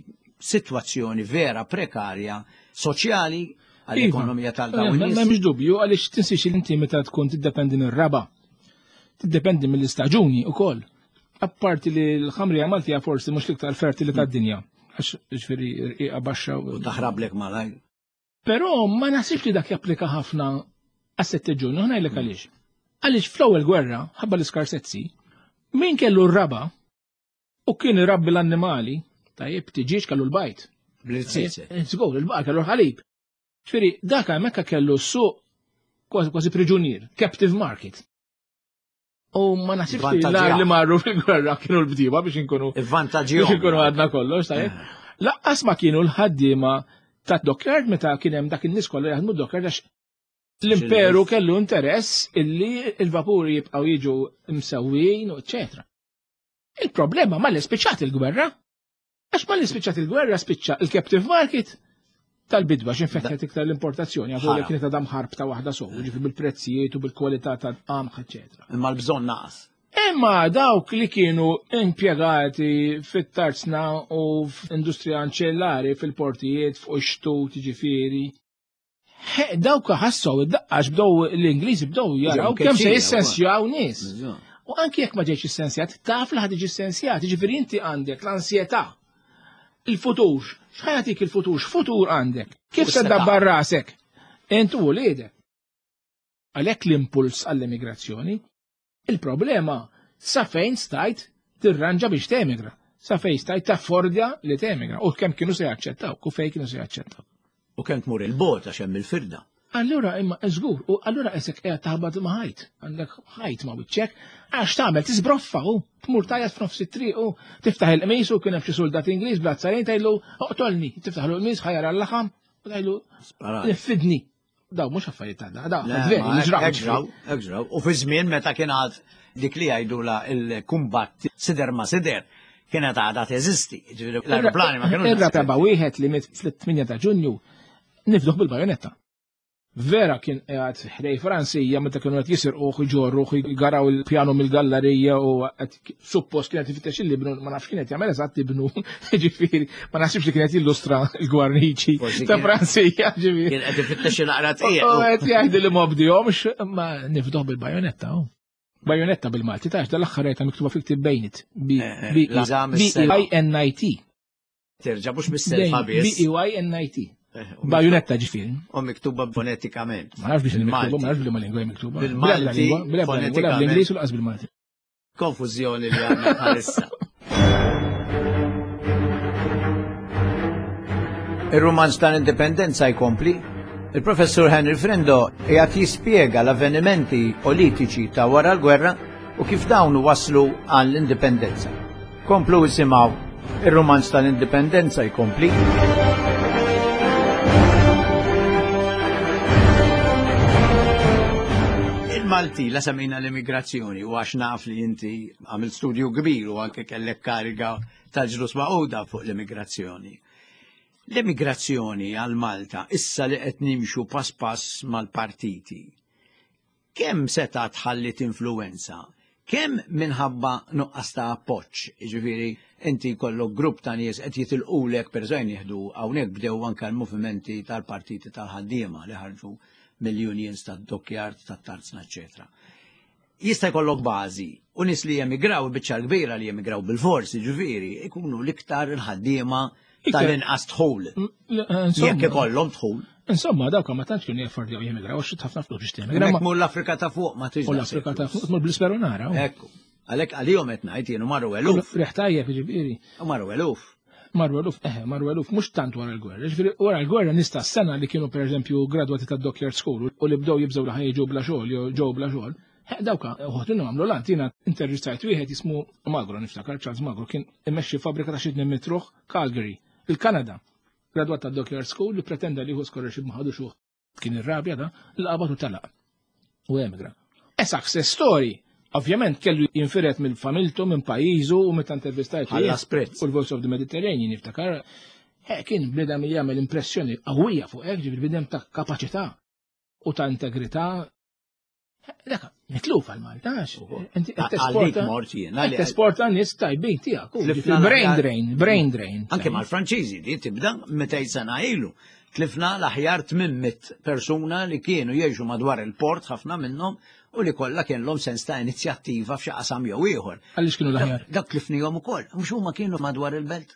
sitwazzjoni vera prekarja soċjali għall-ekonomija tal-dawn Ma nies. M'hemmx dubju, għaliex tinsiex li inti meta tkun tiddependi mir-raba, tiddependi mill-istaġuni wkoll. Apparti li l-ħamrija Maltija forsi mhux l-iktar fertili tad-dinja, għax ġifieri rqiqa baxxa u taħrablek malajr. Però ma naħsibx li dak japplika ħafna għas-sette Ġunju, ħa ngħidlek għaliex. Għaliex fl-ewwel gwerra, ħabba l-iskarsezzi, min kellu r-raba u kien irabbi l-annimali, tajjeb, tiġieġ, kellu l-bajd. Bl-irziezet. Żgur, il-baqar kellu l-ħalib. Ġifieri, dak hemmhekk kellu s-suq kważi kważi priġunier, captive market. U ma naħsibx li Vantaġġi l li marru fil-gwerra kienu l-bdiewa biex inkunu Il-vantaġġi biex inkunu għadna kollox, tajjeb. Laqqas ma kienu l-ħaddiema ta' dockyard meta kien hemm dak in-nies kollha jaħdmu dockyard, għax l-imperu kellu interess illi il-vapuri jibqgħu jiġu msewwin, eċetera. Il-problema ma li spiċċat il-gwerra. Għax ma li spiċċat il-gwerra spiċċa il-captive market tal-bidwa x'infetħet iktar l-importazzjoni, għax Ħara. kienet għadha ħarb ta' waħda sow, ġifieri bil-prezzijiet u bil-kwalità ta' qamħ, eċetera. Imma l-bżonn naqas. Imma dawk li kienu impjegati fit-tarzna u f'industrija anċellari fil-portijiet, fuq ix-xtut, ġifieri, he, dawk ħassew id-daqqax, bdew l-Ingliżi bdew jaraw kemm se mkeċċija, jissensjaw nies. U anki jekk ma ġejx issensjat, taf li ħad tiġi ssensjat, ġifieri inti għandek l-ansjetà. Il-futur, x'ħa jagħtik il-futur, x'futur għandek? Kif U se seta' dabbar rasek? Int u wliedek. Għalhekk l-impuls għall-emigrazzjoni, il-problema sa fejn stajt tirranġa biex temigra, sa fejn stajt taffordja li temigra, u kemm kienu se jaċċettaw, u fejn kienu se jaċċettaw. U kemm tmur il-bot għax hemm il-firda. Allura imma żgur, u allura esek qiegħed taħbad ma' ħajt, għandek ħajt ma' wiċċek, għax tagħmel tiżbroffa u tmur tajjat f'nofs it-triq u tiftaħ il-qmis u kien hemm xi soldat Ingliż bl-azzarin tgħidlu oqtolni, tiftaħ l-qmis ħa jara l-laħam u tgħidlu Sparat. nifidni. Daw mhux affarijiet ta' da, Le, veri, ma li ġraw. hekk ġraw, hekk ġraw. U fi żmien meta kien għad dik li jgħidu la il-kumbatt sider ma sider kienet għadha teżisti. Ġifieri l-aeroplani ma kienux. Ir-raba wieħed li miet fl-tmienja ta' Ġunju nifduh bil-bajonetta. Vera kien qiegħed ħdej Franzija meta kienu qed jisirquh, jġorruh, jgaraw il-pjanu mill-gallerija u qed suppost kienet ifittex il-libnu, ma nafx kienet jagħmel eżatt ibnu, ġifieri, ma naħsibx li kienet jillustra l-gwarniċi Forsi ta' kien- Franzija, ġifieri. Kien qed ifittex il-aqra U tqiegħ. qed jgħidu li ma bdihomx, ma nifduh bil-bajonetta. hu. Bajonetta bil-Malti, tax dal-aħħar rajta miktuba fil-ktib bejnit. B Eh, eh, B l-eżam B is-sena. I N I T. Terġa' mhux bis-selfa biss. B E Y N I T. Eh, u Bajonetta ġifieri. U miktuba fonetikament. Ma nafx biex Bil-Malti. miktuba, ma nafx bil lingwa miktuba. Bil-Malti, Bl-ebda lingwa, fonetikament. bl-Ingliż u laqas bil-Malti. Konfużjoni li għandna bħalissa. Ir-rumanz tal-Indipendenza jkompli. Il-professur Henry Frendo qiegħed jispjega l-avvenimenti politiċi ta' wara l-gwerra u kif dawn waslu għall-indipendenza. Komplu isimgħu ir-rumanz tal-Indipendenza jkompli. Il-Malti, la semmejna l-immigrazzjoni, u għax naf li inti għamil studju kbir u anke kellek kariga tal-Ġnus Magħquda fuq l-immigrazzjoni. L-immigrazzjoni għal Malta, issa li qed nimxu pass pass mal-partiti. Kemm seta' tħallit influenza? Kemm minħabba nuqqas ta' appoġġ, jiġifieri inti jkollok grupp ta' nies qed jitilqulek, pereżempju jieħdu hawnhekk bdew anke l-movimenti tal-partiti tal-ħaddiema li ħarġu mill-unions tad-dockyard, tat-tarzna, eċetera. Jista' jkollok bażi u nies li jemigraw, biċċa kbira li jemigraw bil-fors, jiġifieri, ikunu l-iktar il-ħaddiema tal-inqas dħul. Jekk ikollhom dħul. Insomma, dawk ma tantx kienu jaffordjaw jemigraw, għax ħafna flus biex temigra. Hemmhekk mur l-Afrika ta' fuq ma tiġ. U l-Afrika ta' fuq tmur bl-isperu nara. Ekku. Għalhekk għalihom qed ngħid jienu marru eluf. Riħ tajjeb jiġifieri. U marru eluf. Marru eluf, eh, marru eluf mhux tant wara l-gwerra. Jiġifieri wara l-gwerra nista' s-sena li kienu pereżempju gradwati tad-Dockyard School u li bdew jibżgħu li ħajġu bla xogħol jew ġew bla xogħol. Dawka, uħut minnhom għamlu lant, jiena intervistajt wieħed jismu Magro, niftakar Charles Magro, kien imexxi fabbrika ta' xi mitruħ Calgary, il-Kanada. Gradwat ta' Dockyard School li pretenda li hu scholarship ma ħadux uħ. Kien irrabja da, l-qabad u talaq. U emigra. E success story. Ovvjament kellu jinfiret mill-familtu, minn pajjiżu u meta intervistajt. Ħallas prezz. U l-Voice of the Mediterranean niftakar. Kien bnedem li jagħmel impressjoni qawwija fuq hekk, ġifieri bnedem ta' kapaċità u ta' integrità. Dak, mitluf għal Malta, inti qed tesporta nies tajbin tiegħek. Brain drain, brain drain. Anke mal-Franċiżi di tibda mitejn sena ilu. Tlifna l-aħjar tmien mitt persuna li kienu jgħixu madwar il-port, ħafna minnhom, u li kollha kienlhom sens ta' inizjattiva f'xi qasam jew ieħor. Għaliex kienu l-aħjar? Dak tlifnihom ukoll, mhux huma kienu madwar il-belt.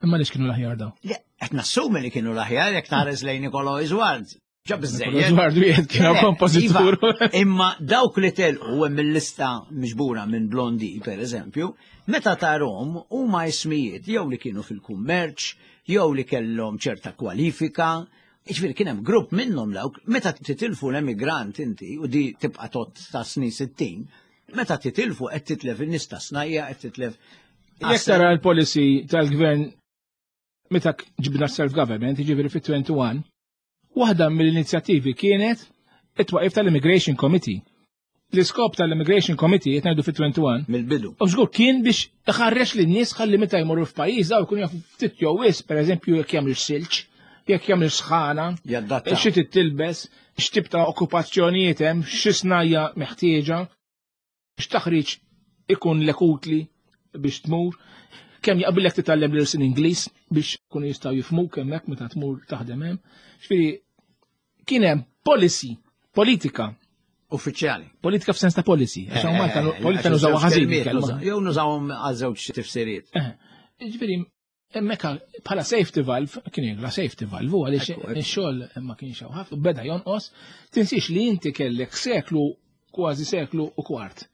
Imma għaliex kienu l-aħjar daw? Le, qed nassumi li kienu l-aħjar jekk tħares lejn Nicolò Isward. Ġab iżżejjed. Isward wieħed kien kompożitur. Imma dawk li telqu hemm il-lista miġbura minn Blondi, per eżempju, meta tarhom huma ismijiet jew li kienu fil-kummerċ, jew li kellhom ċerta kwalifika. Jiġifieri kien hemm grupp minnhom dawk, meta titilfu l-emigrant inti, u di tibqa' tot ta' snin sittin, meta titilfu qed titlef in-nies ta' snajja, qed titlef. Jekk tara l-policy tal-gvern meta ġibna self-government, jiġifieri fit-twenty-one, waħda mill-inizjattivi kienet it-twaqif tal-Immigration Committee. L-iskop tal-Immigration Committee qed ngħidu fit-twenty-one. Mill-bidu. U żgur kien biex iħarrex lin-nies ħalli meta jmorru f'pajjiż daw jkunu jafu ftit jew wisq, pereżempju jekk jagħmlu silġ, jekk jagħmlu sħana, xi titilbes, x'tip ta' okkupazzjonijiet hemm, xi snajja meħtieġa, x'taħriġ ikun lek utli biex tmur, kemm jaqbillek titgħallem l-irsin Ingliż biex kunu jistgħu jifhmuk hemmhekk meta tmur taħdem hemm. Ġifieri kien hemm policy, politika uffiċjali. Politika f'sens ta' policy. Għax hawn Malta politika nużawha ħażin. Jew nużawhom għal żewġ tifsiriet. Ġifieri hemmhekk bħala safety valve, kien jgħidla safety valve, u għaliex ix-xogħol ma kienx hawn ħafna, beda jonqos. Tinsiex li inti kellek seklu, kważi seklu u kwart,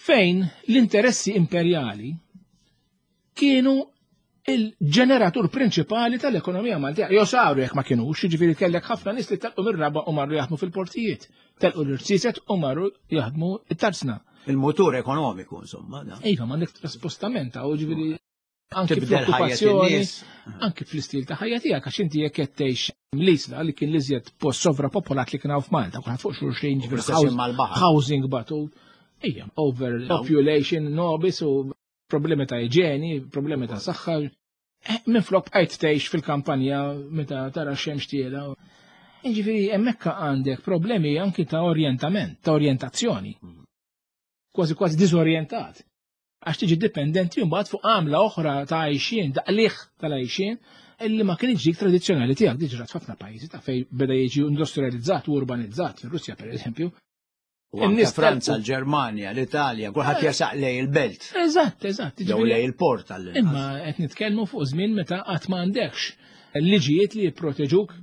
fejn l-interessi imperjali kienu il-ġeneratur prinċipali tal-ekonomija Maltija. Jew saru jekk ma kienux, jiġifieri kellek ħafna nies li telqu mir-raba u marru jaħdmu fil-portijiet, telqu l-irsiset u marru jaħdmu it-tarzna. Il-motur ekonomiku, insomma. Iva, m'għandek traspostament, u ġifieri anke fl-okkupazzjoni, anke fl-istil ta' ħajja tiegħek, għax inti jekk qed tgħix l-Isla li kien l-iżjed post sovrapopolat li kien hawn f'Malta, kulħadd fuq xulxin, ġifieri housing batut, ejja, overpopulation, nobis u problemi ta' iġeni, problemi ta' saħħa. Minflok bqajt tgħix fil-kampanja meta tara x-xemx tiela. Jiġifieri hemmhekk għandek problemi anki ta' orjentament, ta' orjentazzjoni. Kważi kważi diżorjentat. Għax tiġi dipendenti mbagħad fuq għamla oħra ta' għajxien, daqliħ tal-għajxien, illi ma kienx dik tradizzjonali tiegħek, diġà ġrat f'ħafna pajjiżi ta' fejn beda jiġi industrializzat u urbanizzat, fir-Russja pereżempju. U anke Franza, l-Ġermanja, l-Italja, kulħadd jasaq lej il-belt. Eżatt, eżatt. Jew lej il-port għall. Imma qed nitkellmu fuq żmien meta qatt ma għandekx liġijiet li jipproteġuk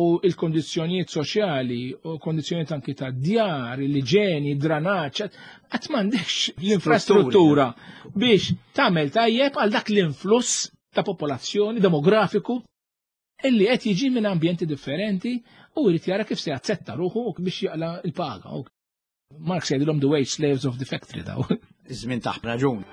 u l-kondizzjonijiet soċjali u kondizzjonijiet anki ta' djar, l-iġeni, dranaġġ, qatt m'għandekx l-infrastruttura biex tagħmel tajjeb għal dak l-influss ta' popolazzjoni demografiku illi qed jiġi minn ambjenti differenti u jrid jara kif se jazzetta ruħu biex jaqla l-paga. Marx jgħidilhom the wage slaves of the factory daw. Iż-żmien taħt raġun.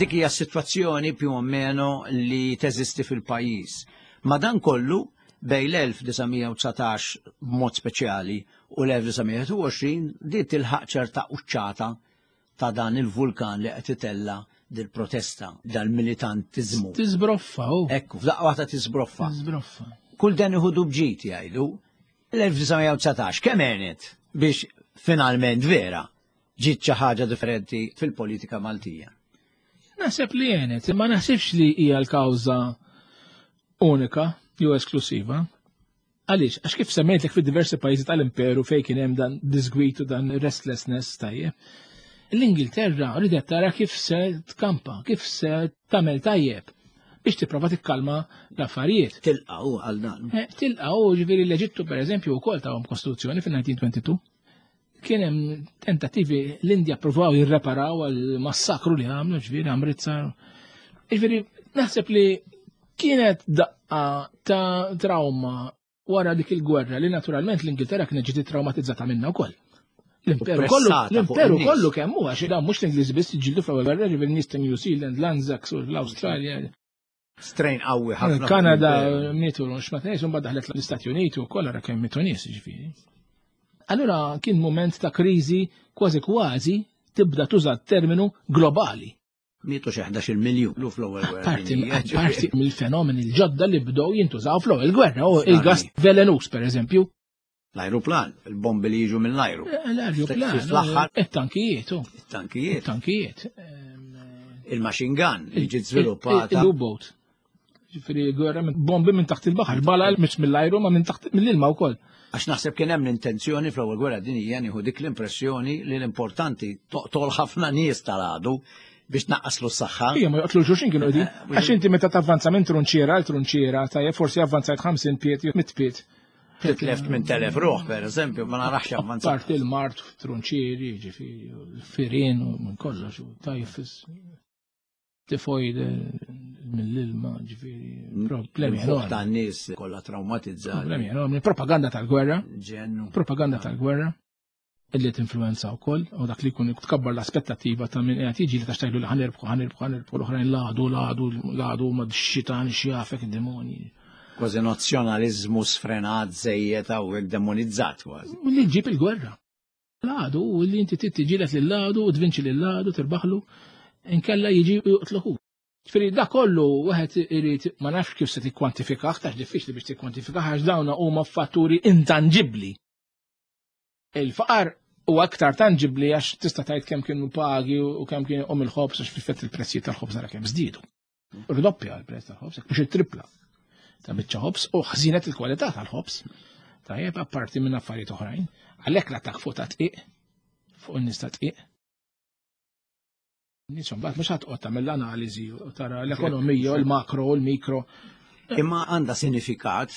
Dik hija s-sitwazzjoni più o meno li teżisti fil-pajjiż. Madankollu bejn l-elf disa' mija u dsatax b'mod speċjali u l-elf disa' mija u għoxrin di tilħaq ċerta quċċata ta' dan il-vulkan li qed itella' dil-protesta, dal-militantiżmu. Tiżbroffa, u. Ekku, f'daqqa waħda tiżbroffa. Tiżbroffa. Kull dan iħudu bġid jgħidu. L-elf disa' mija u dsatax kemm għenet biex finalment vera ġiet xi ħaġa differenti fil-politika Maltija? Naħseb li għenet, ma naħsibx li hija l-kawża unika jew esklusiva. Għaliex, għax kif semmejtlek fid-diversi pajjiżi tal-imperu fejn kien hemm dan disgwit u dan restlessness tajjeb. L-Ingilterra ridet tara kif se tkampa, kif se tagħmel tajjeb biex tipprova tikkalma l-affarijiet. Tilqgħu għal dan. Eh, tilqgħu, ġifieri l-Eġittu pereżempju wkoll tawhom kostituzzjoni fin-nineteen twenty-two. Kien hemm tentattivi l-Indja ppruvaw jirreparaw għal massakru li għamlu, ġifieri Amritsar. Ġifieri naħseb li kienet daqqa ta' trauma wara dik il-gwerra li naturalment l-Ingilterra kienet ġiet traumatizzata minnha wkoll. L-imperu kollu, Pressata fuq l-imperu in-nies. kollu kemm huwa, għax dawn mhux l-Ingliżi biss jiġġieldu fl-ewwel gwerra, ġifieri nies ta' New Zealand, l-Anzacs u l-Awstralja. Strain qawwi ħafna fuq Kanada l-imperu. mietu mhux ma tnejx, imbagħad daħlet l-Istati Uniti wkoll ara kemm mietu nies, ġifieri. Allura kien mument ta' kriżi kważi kważi tibda tuża terminu globali. Mietu xi ħdax-il miljun lu fl-ewwel gwerra Parti dinjija, ġifieri. parti mill-fenomeni l-ġodda li bdew jintużaw fl-ewwel gwerra, u Sani. il-gas velenus pereżempju. L-ajruplan, il-bombi li jiġu mill-ajru. Eh, l-ajruplan, Fl-aħħar. it-tankijiet, u. It-tankijiet. It-tankijiet. Il-machine gun li ġiet żviluppata. Il-U-boat. Ġifieri gwerra minn bombi minn taħt il-baħar, bala mhux mill-ajru ma minn taħt mill-ilma wkoll. Għax naħseb kien hemm l-intenzjoni fl-ewwel gwerra dinjija nieħu dik l-impressjoni li l-importanti toqtol ħafna nies tal-għadu biex naqqaslu s-saħħa. Ija, ma joqtlu xulxin kienu qegħdin. Eh, Għax inti meta tavvanza minn trunċiera għal trunċiera, tajjeb forsi avvanzajt ħamsin piet jew mitt piet. Titlef minn telef ruħ, per eżempju, ma narax avvanzat. Parti l-mart, trunċieri, ġifieri, firien u minn kollox, u tajfis, tifoid mill-ilma, ġifieri, problemi Il-fuq enormi. tan-nies kollha traumatizzati. Problemi enormi. Propaganda tal-gwerra. Ġennu. Propaganda tal-gwerra. Illi tinfluenza wkoll, u dak li jkun tkabbar l-aspettattiva ta' min qiegħed jiġi li tax tgħidu li ħanirbħu, ħanirbħu, ħanirbħu, l-oħrajn lagħdu, lagħdu, lagħdu, ma x-xitan, x'jafek, id-demoni. Kważi nazzjonaliżmu sfrenat, żejjed hawnhekk demonizzat kważi. Li ġib il-gwerra. Lagħdu, u li inti trid tiġieled lil lagħdu, u tvinċi lil lagħdu, tirbaħlu, inkella jiġi u joqtluħu. Ġifieri da kollu wieħed irid ma nafx kif se tikkwantifikah, tax diffiċli biex tikkwantifikah għax dawn huma fatturi intangibbli. Il-faqar huwa aktar tangibbli għax tista' tgħid kemm kienu pagi u kemm kien om il-ħobż għax fil-fatt il-prezzijiet tal-ħobż nara kemm żdiedu. Rdoppja l-prezz tal-ħobż, jekk mhux it-tripla ta' biċċa ħobż u ħżinet il-kwalità tal-ħobż. Tajjeb, apparti minn affarijiet oħrajn, għalhekk l-attakk fuq ta' tqiq, fuq in-nies ta' tqiq. Nies imbagħad mhux ħadd tagħmel l-analiżi u tara l-ekonomija, l-makro, l-mikro. Imma għandha sinifikat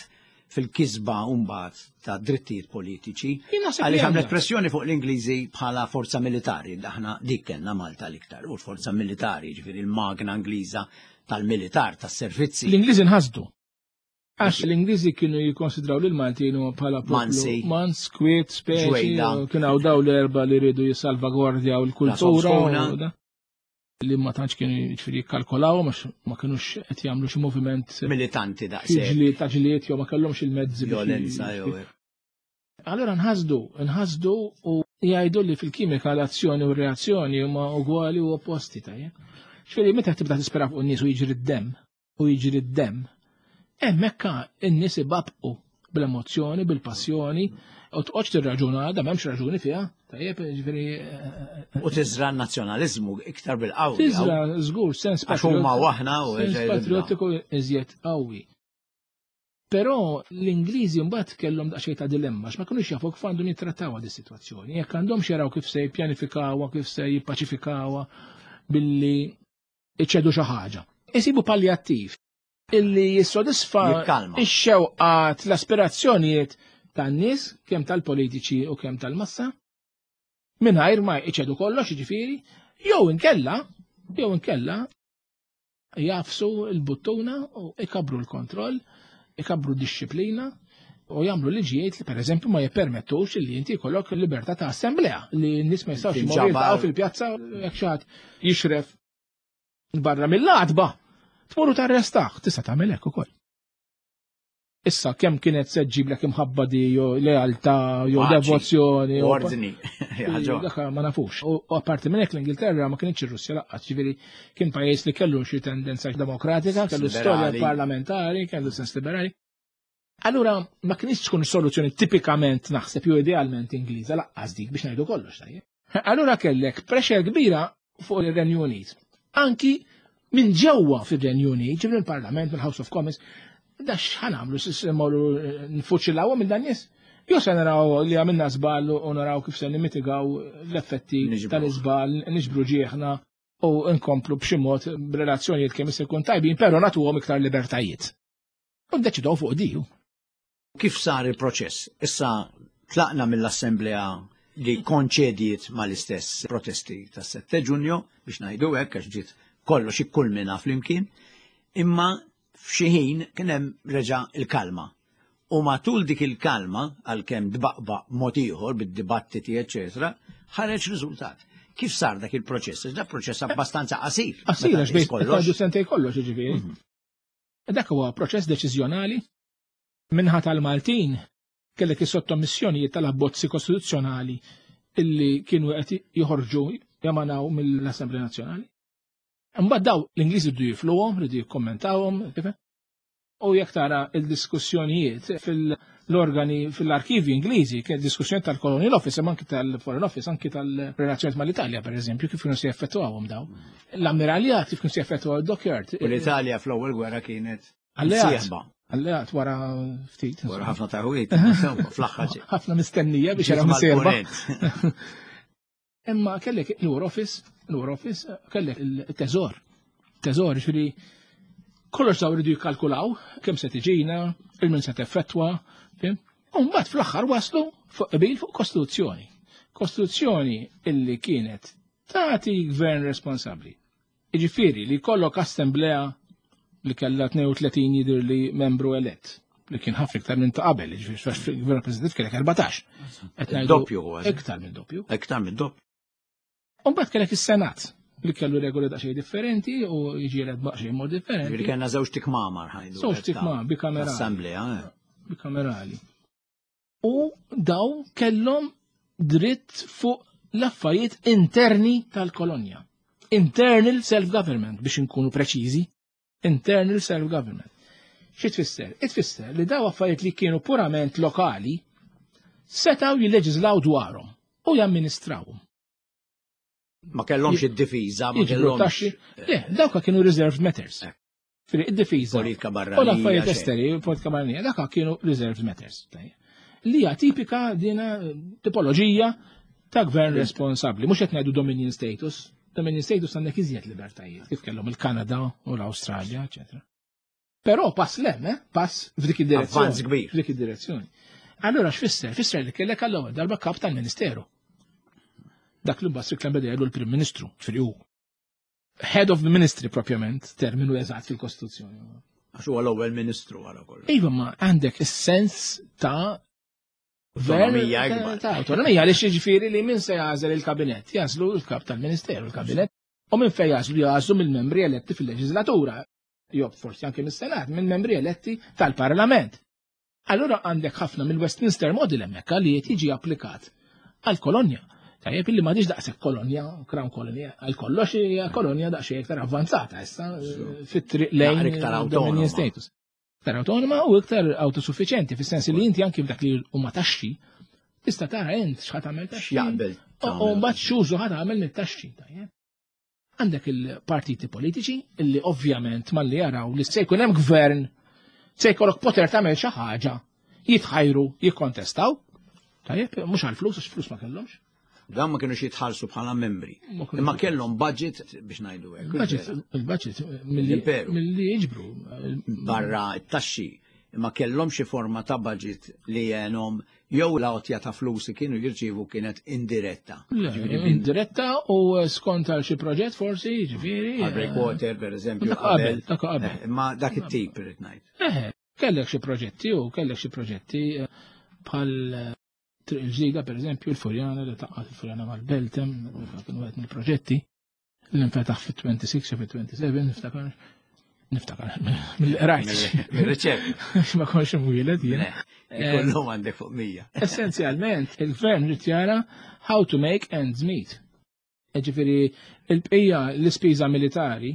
fil-kisba mbagħad ta' drittijiet politiċi. Jien naħseb li Għaliex għamlet għandha. pressjoni fuq l-Ingliżi bħala forza militari, aħna dik kellna Malta l-iktar, u l-forza militari, ġifieri l-magna Ingliża tal-militar, tas-servizzi. L-Ingliżi nħasdu. Għax l-Ingliżi kienu jikkonsidraw lil Maltin bħala poplu Mansi. Mans, kwiet, speċi, Ġwejda. kienu hawn daw l-erba li rridu jissalvagwardjaw l-kultura La u da. Li ma tantx kienu jiġifieri jikkalkolaw, għax ma kinux qed jagħmlu xi moviment militanti daqshekk. Ġlied ta' ġlied jew ma kellhomx il-mezzi biex Violenza j- jew hekk. Allura nħasdu, nħasdu u jgħidu li fil-kimika l-azzjoni u r-reazzjoni huma ugwali u opposti, tajjeb. Ġifieri meta tibda tispera fuq in-nies u jiġri d-demm, u jiġri d-demm, hemmhekk in-nies ibabqu bl-emozzjoni, bil-passjoni, u tqgħodx tirraġuna, da m'hemmx raġuni fiha, tajjeb, ġifieri, eh, U tiżra n-nazzjonaliżmu iktar bil-qawwi. Tiżra, żgur, sens Għax huma patriot- u aħna u sens ġej patriottiku iżjed qawwi. Però l-Ingliżi mbagħad kellhom daqsxejn ta' dilemma, għax ma kinux jafu kif għandhom jittrattawha di sitwazzjoni. Jekk għandhom jaraw kif se jippjanifikawha, kif se jippaċifikawha billi iċedu xi ħaġa. Isibu palliattiv illi jissodisfa Jikkalma. ix-xewqat, l-aspirazzjonijiet tan-nies, kemm tal-politiċi u kemm tal-massa, mingħajr ma iċedu kollox, jiġifieri, jew inkella, jew inkella jafsu l-buttuna u ikabru l-kontroll, ikabru d-disciplina u jagħmlu liġijiet li pereżempju ma jippermettux li inti jkollok libertà ta' assemblea li n-nies ma jistgħux imorru Tinġabar. jiltaqgħu fil-pjazza jekk xi ħadd jixref barra mill-għatba, tmur u tarrestah, tista' tagħmel hekk ukoll. Issa kemm kienet se ġġiblek imħabba di jew lealtà jew devozzjoni jew ordni. Dak ma nafux. U apparti minn hekk l-Ingilterra ma kienx ir-Russja laqqas, ġifieri kien pajjiż li kellu xi tendenza demokratika, kellu storja parlamentari, kellu sens liberali. Allura ma kienx tkun soluzzjoni tipikament naħseb jew idealment Ingliża laqqas dik biex ngħidu kollox tajjeb. Allura kellek pressure kbira fuq ir-Renju Unit. Anki minn ġewwa fir-Renju Unit, ġifieri il-Parlament, mill-House of Commons, da x'ħa nagħmlu mmorru nfuċillawhom minn dan nies? Jew se naraw li għamilna żball u naraw kif se nimitigaw l-effetti tal-iżball, niġbru ġieħna u nkomplu b'xi mod b'relazzjonijiet kemm se jkun tajbin, però nagħtuhom iktar libertajiet. U ddeċidew fuq diju. Kif sar il-proċess? Issa tlaqna mill-Assemblea li konċediet mal-istess protesti tas-sette Ġunju biex ngħidu hekk għax ġiet kollox ikkulmina flimkien, imma f'xi ħin kien hemm reġa' il-kalma. U matul dik il-kalma, għalkemm dbaqbaq mod ieħor bid-dibattiti eċetera, ħareġ riżultat. Kif sar dak il-proċess? Dak proċess abbastanza qasir. Qasir għax bejn kollox sentej kollox jiġifieri. Dak huwa proċess deċiżjonali minħa tal-Maltin kellek is-sottomissjonijiet tal-abbozzi kostituzzjonali illi kienu qed joħorġu jamanaw mill-Assemblea Nazzjonali. Imbagħad daw l-Ingliżi rridu jifluhom, rridu jikkommentawhom, u jekk tara il-diskussjonijiet fil-organi fil-arkivi Ingliżi, kien diskussjoni tal-Colonial Office, imma anki tal-Foreign Office, anki tal-relazzjonijiet mal-Italja, pereżempju, kif kienu se jeffettwawhom daw. L-ammiraljat kif kienu se jeffettwaw id-dockyard. U l-Italja fl-ewwel gwerra kienet alleat. Alleat wara ftit. Wara ħafna taħwit, fl-aħħar. Ħafna mistennija biex jaraw sejba. Imma kellek il-War Office, il-War Office, kellek il-teżor. Teżor, ġifieri kollox daw iridu jikkalkulaw kemm se tiġina, il-min se teffettwa, fim? U mbagħad fl-aħħar waslu fuq qbil fuq kostituzzjoni. Kostituzzjoni illi kienet tagħti gvern responsabbli. Jiġifieri li jkollok assemblea li kellha tnejn u tletin jidher li membru elett, li kien ħafna iktar minn ta' qabel, jiġifieri fil-gvern rappreżentattiv kellek erbatax. Qed ngħidu Doppju kważi. Iktar minn doppju. Iktar minn doppju. U mbagħad kellek is-Senat li kellu regoli daqsxejn differenti u jiġi elett daqsxejn mod differenti. Ġifieri kellna żewġ tikmamar ħajdu. Żewġ tikmamar bikamerali. Assemblea. Bikamerali. U daw kellhom dritt fuq l-affarijiet interni tal-kolonja. Internal self-government biex inkunu preċiżi. Internal self-government. Xi tfisser? Itfisser li daw affarijiet li kienu purament lokali setgħu jilleġislaw dwarhom u jamministrawhom. Ma kellhomx id-difiża, ma kellhomx. Le, dawka kienu reserved matters. Firi id-difiża. Politika barranija. U l-affarijiet esteri, politika barranija, dawka kienu reserved matters. Li hija tipika dina tipoloġija ta' gvern responsabbli, mhux qed ngħidu dominion status. Dominion status għandek iżjed libertajiet, kif kellhom il-Kanada u l-Awstralja, eċetera. Però pass lem, eh? Pass f'dik id-direzzjoni. Avvanz kbir. F'dik id-direzzjoni. Allura x'fisser? Fisser li kellek għall-ewwel darba kap tal-Ministeru. Dak li mbagħad Strickland beda jgħidu l-Prim Ministru, ġifieri hu Head of the Ministry propjament, terminu eżatt fil-Kostituzzjoni. Għax huwa l-ewwel Ministru wara kollox. Iva, ma għandek is-sens ta' Autonomija ikbar. Ta' autonomija għaliex jiġifieri li min se jagħżel il-kabinett, jażlu l-kap tal-Ministeru l-kabinett, u minn fejn jażlu jażlu mill-membri eletti fil-leġislatura, jew forsi anke mis-Senat, minn membri eletti tal-Parlament. Allura għandek ħafna mill-Westminster Model hemmhekk li qed jiġi applikat għall-kolonja. Tajjeb illi m'għadix daqshekk kolonja, crown kolonja, għal kollox hija kolonja daqsxejn iktar avvanzata issa fit-triq lejn dominion status. Iktar autonoma u iktar autosuffiċenti, fis-sens li inti anki f'dak li huma taxxi tista' tara int x'ħa tagħmel taxxi. X'jaqbel. U mbagħad x'użu ħa tagħmel mit-taxxi, tajjeb. Għandek il-partiti politiċi illi ovvjament malli jaraw li se jkun hemm gvern, se jkollok poter tagħmel xi ħaġa, jitħajru, jikkontestaw. Tajjeb, mhux għall-flus, għax flus ma kellhomx. Dan ma kienux jitħallsu bħala membri. Imma kellhom budget biex ngħidu hekk. Il-budget, il-budget milli jiġbru. Barra t-taxxi. Imma kellhom xi forma ta' budget li għenhom jew l-għotja ta' flus li kienu jirċievu kienet indiretta. Indiretta u skont għal xi proġett forsi, jiġifieri. Għal breakwater pereżempju. Dak qabel, dak qabel. Imma dak it-tip irid ngħid. Eh, kellek xi proġetti u kellek xi proġetti bħal Triq il-ġdida, per eżempju, il-Furjana li taqqat il-Furjana mal-Beltem, kienu għed mill-proġetti. L-infetaħ fit-tnejn u disgħin jew fit-sbatax, niftakar. Niftakar, mill-rajt. Mill-riċerka. Ma konx imwieled jien. Ikollhom għandek fuq mija. Essenzjalment, il-gvern ried jara how to make ends meet. Ġifieri, il-bqija l-ispiża militari,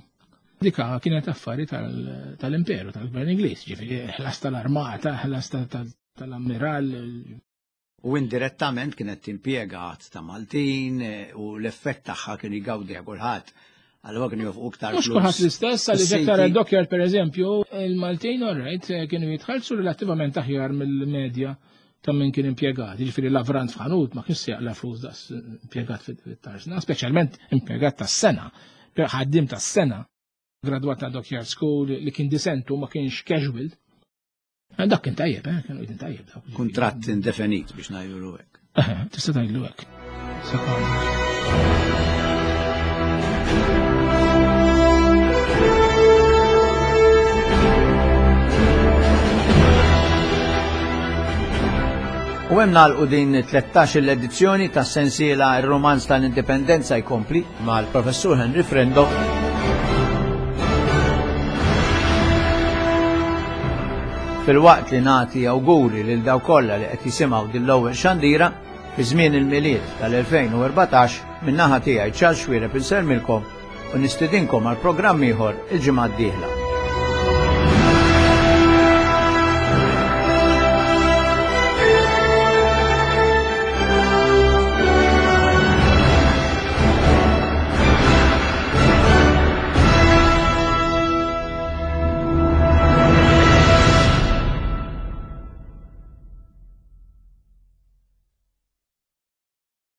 dika kienet affari tal-imperu, tal-gvern Ingliż, ġifieri, ħlas tal-armata, ħlas tal-ammiral. U indirettament kienet timpjega għadd ta' Maltin u l-effett tagħha kien jgawdi kulħadd. Allura kienu jofqu iktar Mhux kulħadd l-istess, għalli jekk tara d-dockyard per eżempju, il-Maltin alright kienu jitħallsu relattivament aħjar mill-medja ta' min kien impjegat. Jiġifieri lavrant f'ħanut ma kienx jaqla flus daqs impjegat fit-tarzna, speċjalment impjegat tas-sengħa, ħaddim tas-sengħa, gradwat ta' dockyard school li kien disentu ma kienx casual. Dak kien tajjeb, eh, kienu kien tajjeb dawk. Kuntratt indefinit biex ngħidulu hekk. Tista' tgħidlu hekk. Sekonda. U hemm nagħlqu din tlettax-il edizzjoni ta' sensiela Ir-Romanz tal-Indipendenza jkompli mal-Professur Henry Frendo. Fil-waqt li nagħti awguri lil dawk kollha li qed jisimgħu din l-ewwel xandira fi żmien il-Milied tal-elfejn u erbatax min-naħa tiegħi Charles Xuereb insellmilkom u nistidinkom għal programm ieħor il-ġimgħa d-dieħla.